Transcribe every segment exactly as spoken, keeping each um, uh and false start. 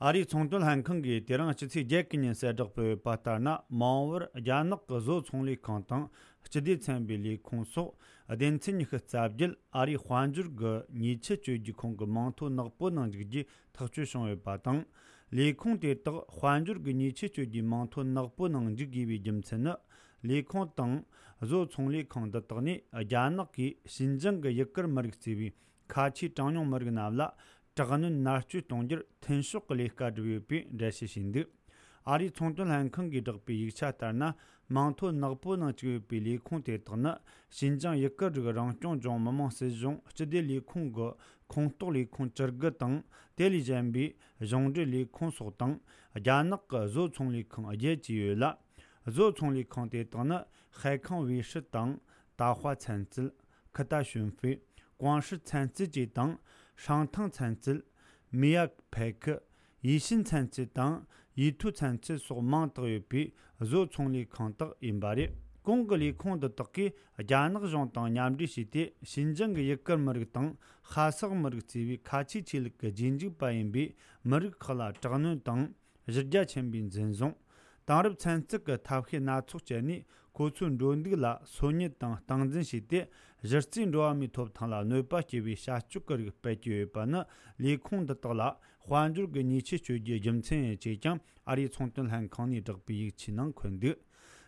ཨ་རིའི་ཚོང་དོན་ལྷན་ཁང་གིས་དེ་རིང་སྤྱི་ཚེས་བརྒྱད་ཀྱི་ཉིན་གསལ་བསྒྲགས་སྤེལ་ཡོད་པ་ལྟར་ན། མ་འོངས་པར་རྒྱ་ནག་གི་བཟོ་ཚོང་ལས་ཁང་དང་སྤྱི་བདེ་ཚན་པའི་ལས་ཁུངས་སོགས་སྡེ་ཚན་ཉི་ཤུ་རྩ་བརྒྱད་ཨ་རིའི་དཔལ་འབྱོར་གྱི་ཉེས་ཆད་གཅོད་རྒྱུའི་ཁོངས་ཀྱི་མིང་ཐོ་ནག་པོའི་ནང་འཇུག་རྒྱུའི་ཐག་གཅོད་བྱུང་ཡོད་པ་དང་། ལས་ཁུངས་དེ་དག་དཔལ་འབྱོར་གྱི་ཉེས་ཆད་གཅོད་རྒྱུའི་མིང་ཐོ་ནག་པོའི་ནང་འཇུག་དགོས་པའི་རྒྱུ་མཚན་ནི། ལས་ཁུངས་དང་བཟོ་ཚོང་ལས་ཁང་འདི་དག་ནས་རྒྱ་ནག་གིས་ཞིན་ཅང་གི་ཡུ་གུར་མི་རིགས་གཙོས་པའི་ཁ་ཆེའི་གྲངས་ཉུང་མི་རིགས་རྣམས་ལ་དྲག་གནོན་མནར་གཅོད་གཏོང་རྒྱུར་མཐུན་ཕྱོགས་ཀྱི་ལས་ཀ་བསྒྲུབས་ཡོད་པའི་འགྲེལ་བཤད་བྱས་འདུག་ཨ་རིའི་ཚོང་དོན་ལྷན་ཁང་གིས་བསྒྲགས་པའི་ཡིག་ཆ་ལྟར་ན། མིང་ཐོ་ནག་པོའི་ནང་བཅུག་ཡོད་པའི་ལས་ཁུངས་དེ་དག་ནི། ཞིན་ཅང་ཡུ་གུར་རིགས་རང་སྐྱོང་ལྗོངས་མི་དམངས་སྲིད་གཞུང་སྤྱི་བདེ་ལས་ཁུངས་ཀྱི་ཁོངས་གཏོགས་ལས་ཁུངས་བཅུ་དགུ་དང་། དེ་ལས་གཞན་པའི་གཞུང་འབྲེལ་ལས་ཁུངས་སོགས་དང་། རྒྱ་ནག་གི་བཟོ་ཚོང་ལས་ཁང་བརྒྱད་བཅས་ཡོད་ལ། བཟོ་ཚོང་ལས་ཁང་དེ་དག་ནི། ཧའེ་ཁང་ཝེ་ཧྲི་དང་། ཏཱ་ཧྭ་ཚན་རྩལ། ཁི་ཏ་ཞུན་ཧྥེ། ཀུང་ཧྲི་ཚན་རྩལ་བཅས་དང་། ཧྲང་ཐང་ཚན་རྩལ། མི་ཡ་ཕེ་ཁི། ཡི་ཤིན་ཚན་རྩལ་དང་། ཡི་ཐུའུ་ཚན་རྩལ་སོགས་མིང་བཏགས་ཡོད་པའི་བཟོ་ཚོང་ལས་ཁང་དག་ཡིན་པ་རེད། གོང་གི་ལས་ཁུངས་འདི་དག་གིས་རྒྱ་ནག་གཞུང་དང་མཉམ་འབྲེལ་བྱས་ཏེ། ཞིན་ཅང་གི་ཡུ་གུར་མི་རིགས་དང་། ཧ་སག་མི་རིགས་གཙོས་པའི་ཁ་ཆེའི་ཆོས་ལུགས་ཀྱི་རྗེས་འཇུག་པ་ཡིན་པའི་མི་རིགས་ཁག་ལ་དྲག་གནོན་དང་། གཞི་རྒྱ་ཆེན་པོའི་འཛིན་བཟུང་། དེང་རབས་ཚན་རྩལ་གྱི་ཐབས་ཤེས་སྣ་ཚོགས་སྤྱད་ནས། ཁོ་ཚོའི་འགྲོ་འདུག་ལ་སོ་ཉུལ་དང་སྟངས་འཛིན་བྱས་ཏེ། གཞི་རྩའི་འགྲོ་བ་མིའི་ཐོབ་ཐང་ལ་གནོད་པ་སྐྱེལ་བའི་བྱ་སྤྱོད་ཀྱི་རིགས་སྤེལ་གྱི་ཡོད་པ་ནི། ལས་ཁུངས་འདི་དག་ལ་དཔལ་འབྱོར་གྱི་ཉེས་ཆད་གཅོད་རྒྱུའི་རྒྱུ་མཚན་ཡིན་ཅེས་ཀྱང་ཨ་རིའི་ཚོང་དོན་ལྷན་ཁང་ནས་བསྒྲགས་པའི་ཡིག་ཆའི་ནང་འཁོད་འདུག་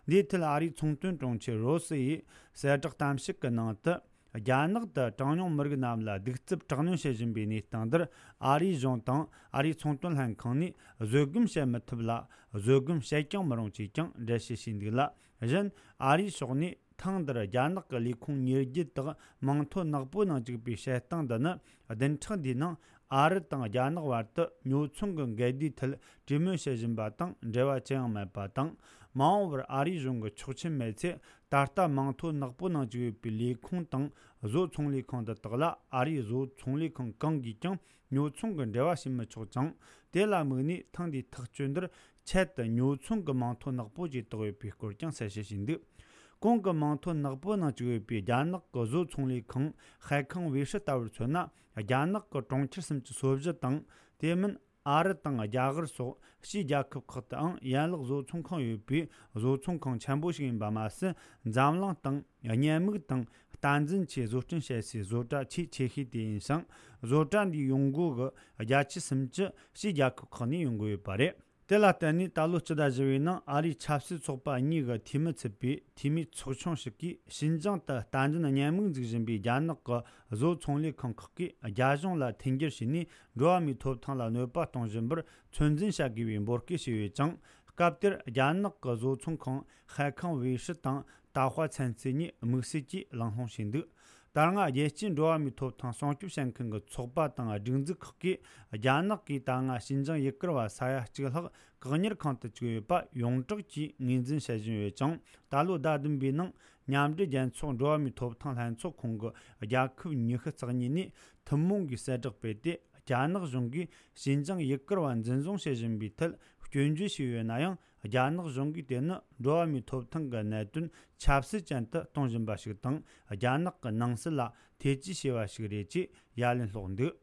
འདིའི་ཐད། ཨ་རིའི་ཚོང་དོན་དྲུང་ཆེ་རོ་སི་ཡིས་གསལ་བསྒྲགས་གཏམ་བཤད་ཀྱི་ནང་དུ། རྒྱ་ནག་ཏུ་གྲངས་ཉུང་མི་རིགས་རྣམས་ལ་གདུག་རྩུབ་དྲག་གནོན་བྱེད་བཞིན་པའི་གནས་སྟངས་འདིར། ཨ་རིའི་གཞུང་དང་ཨ་རིའི་ཚོང་དོན་ལྷན་ཁང་ནས་བཟོད་སྒོམ་བྱེད་མི་ཐུབ་ལ། བཟོད་སྒོམ་བྱེད་ཀྱང་མི་རུང་ཅེས་ཀྱང་འགྲེལ་བཤད་བྱས་འདུག་ལ། གཞན། ཨ་རིའི་ཕྱོགས་ནས་ཐེངས་འདིར་རྒྱ་ནག་གི་ལས་ཁུངས་ཉེར་བརྒྱད་དག་མིང་ཐོ་ནག་པོའི་ནང་བཅུག་པའི་བྱེད་སྟངས་འདི་ནི། བདུན་ཕྲག་འདིའི་ནང་ཨ་རི་དང་རྒྱ་ནག་བར་དུ་ཉོ་ཚོང་གི་འགལ་ཟླའི་ཐད་གྲོས་མོལ་བྱེད་བཞིན་པ་དང་འབྲེལ་བ་ཅི་ཡང་མེད་པ་དང་། མ་འོངས་པར་ཨ་རིའི་གཞུང་གི་ཆོག་མཆན་མེད་ཚེ། ད་ལྟ་མིང་ཐོ་ནག་པོའི་ནང་བཅུག་ཡོད་པའི་ལས་ཁུངས་དང་བཟོ་ཚོང་ལས་ཁང་འདི་དག་ལ། ཨ་རིའི་བཟོ་ཚོང་ལས་ཁང་གང་གིས་ཀྱང་ཉོ་ཚོང་གི་འབྲེལ་བ་བྱེད་མི་ཆོག་ཅིང་། དེ་ལ་དམིགས་ནས་ཐེངས་འདིའི་ཐག་གཅོད་འདིར་ཆེད་དུ་ཉོ་ཚོང་གི་མིང་ཐོ་ནག་པོ་ཞིག་བཏགས་ཡོད་པའི་སྐོར་ཀྱང་གསལ་བཤད་བྱས་འདུག་གོང་གི་མིང་ཐོ་ནག་པོའི་ནང་བཅུག་ཡོད་པའི་རྒྱ་ནག་གི་བཟོ་ཚོང་ལས་ཁང་ཧའེ་ཁང་ཝེ་ཧྲི་ལྟ་བུར་མཚོན་ན། རྒྱ་ནག་གི་གྲོང་ཁྱེར་སུམ་ཅུ་སོ་བཞི་དང་། དེ་མིན། ཨ་རི་དང་རྒྱ་གར་སོགས་ཕྱིའི་རྒྱལ་ཁབ་ཁག་ཏུའང་ཡན་ལག་བཟོ་ཚོང་ཁང་ཡོད་པའི་བཟོ་ཚོང་ཁང་ཆེན་པོ་ཞིག་ཡིན་པ་མ་ཟད། འཛམ་གླིང་སྟེང་བརྙན་མིག་དང་བསྟན་འཛིན་ཆེད་བཟོ་སྐྲུན་བྱེད་སའི་བཟོ་གྲྭ་ཆེས་ཆེ་ཤོས་དེ་ཡིན་ཞིང་། བཟོ་གྲྭ་འདིའི་ཡོང་སྒོ་གི་བརྒྱ་ཆ་སུམ་ཅུ་ཕྱིའི་རྒྱལ་ཁབ་ཁག་ནས་ཡོང་གི་ཡོད་པ་རེད། དེ་ལ་བརྟེན་ནས་ད་ལོ་སྤྱི་ཟླ་བཞི་པའི་ནང་ཨ་རིའི་ཆབ་སྲིད་ཚོགས་པ་གཉིས་ཀྱི་འཐུས་མི་ཚུད་པའི་འཐུས་མིའི་ཚོགས་ཆུང་ཞིག་གིས། ཞིན་ཅང་དུ་བསྟན་འཛིན་བརྙན་མིག་འཛུགས་བཞིན་པའི་རྒྱ་ནག་གི་བཟོ་ཚོང་ལས་ཁང་ཁག་གིས་རྒྱ་གཞུང་ལ་མཐུན་འགྱུར་བྱས་ནས། འགྲོ་བ་མིའི་ཐོབ་ཐང་ལ་གནོད་པ་གཏོང་བཞིན་པར་ཚོད་འཛིན་བྱ་དགོས་པའི་འབོད་སྐུལ་བྱས་ཡོད་ཅིང་། སྐབས་དེར་རྒྱ་ནག་གི་བཟོ་ཚོང་ཁང་ཧའེ་ཁང་ཝེ་ཧྲི་དང་ཏཱ་ཧྭ་ཚན་རྩལ་གཉིས་དམིགས་བསལ་གྱིས་གླེང་སློང་བྱས་འདུག་ད་སྔ་རྒྱལ་སྤྱིའི་འགྲོ་བ་མིའི་ཐོབ་ཐང་སྲུང་སྐྱོབ་བྱེད་མཁན་གྱི་ཚོགས་པ་དང་སྒྲིག་འཛུགས་ཁག་གིས། རྒྱ་ནག་གིས་ད་སྔ་ཞིན་ཅང་ཡུ་གུར་བ་ས་ཡ་གཅིག་ལྷག་བཀག་ཉར་ཁང་དུ་བཅུག་ཡོད་པ་ཡོངས་གྲགས་ཀྱིས་ངོས་འཛིན་བྱེད་བཞིན་ཡོད་ཅིང་། ད་ལོ་ཟླ་བདུན་པའི་ནང་། མཉམ་འབྲེལ་རྒྱལ་ཚོགས་འགྲོ་བ་མིའི་ཐོབ་ཐང་ལྷན་ཚོགས་ཁོངས་ཀྱི་རྒྱལ་ཁབ་ཉི་ཤུ་རྩ་གཉིས་ནས་ཐུན་མོང་གིས་གསལ་བསྒྲགས་སྤེལ་ཏེ། རྒྱ་ནག་གཞུང་གིས་ཞིན་ཅང་ཡུ་གུར་བ་འཛིན་བཟུང་བྱེད་བཞིན་པའི་ཐད་སྐྱོན་བརྗོད་བྱས་ཡོད་ན་ཡང་། རྒྱ་ནག་གཞུང་གིས་དེ་ནི་འགྲོ་བ་མིའི་ཐོབ་ཐང་གི་གནད་དོན་ཆབ་སྲིད་ཅན་དུ་གཏོང་བཞིན་པ་ཞིག་དང་། རྒྱ་ནག་གི་ནང་སྲིད་ལ་ཐེ་ཇུས་བྱས་པ་ཞིག་རེད་ཅེས་ཡ་ལན་སློག་འདུག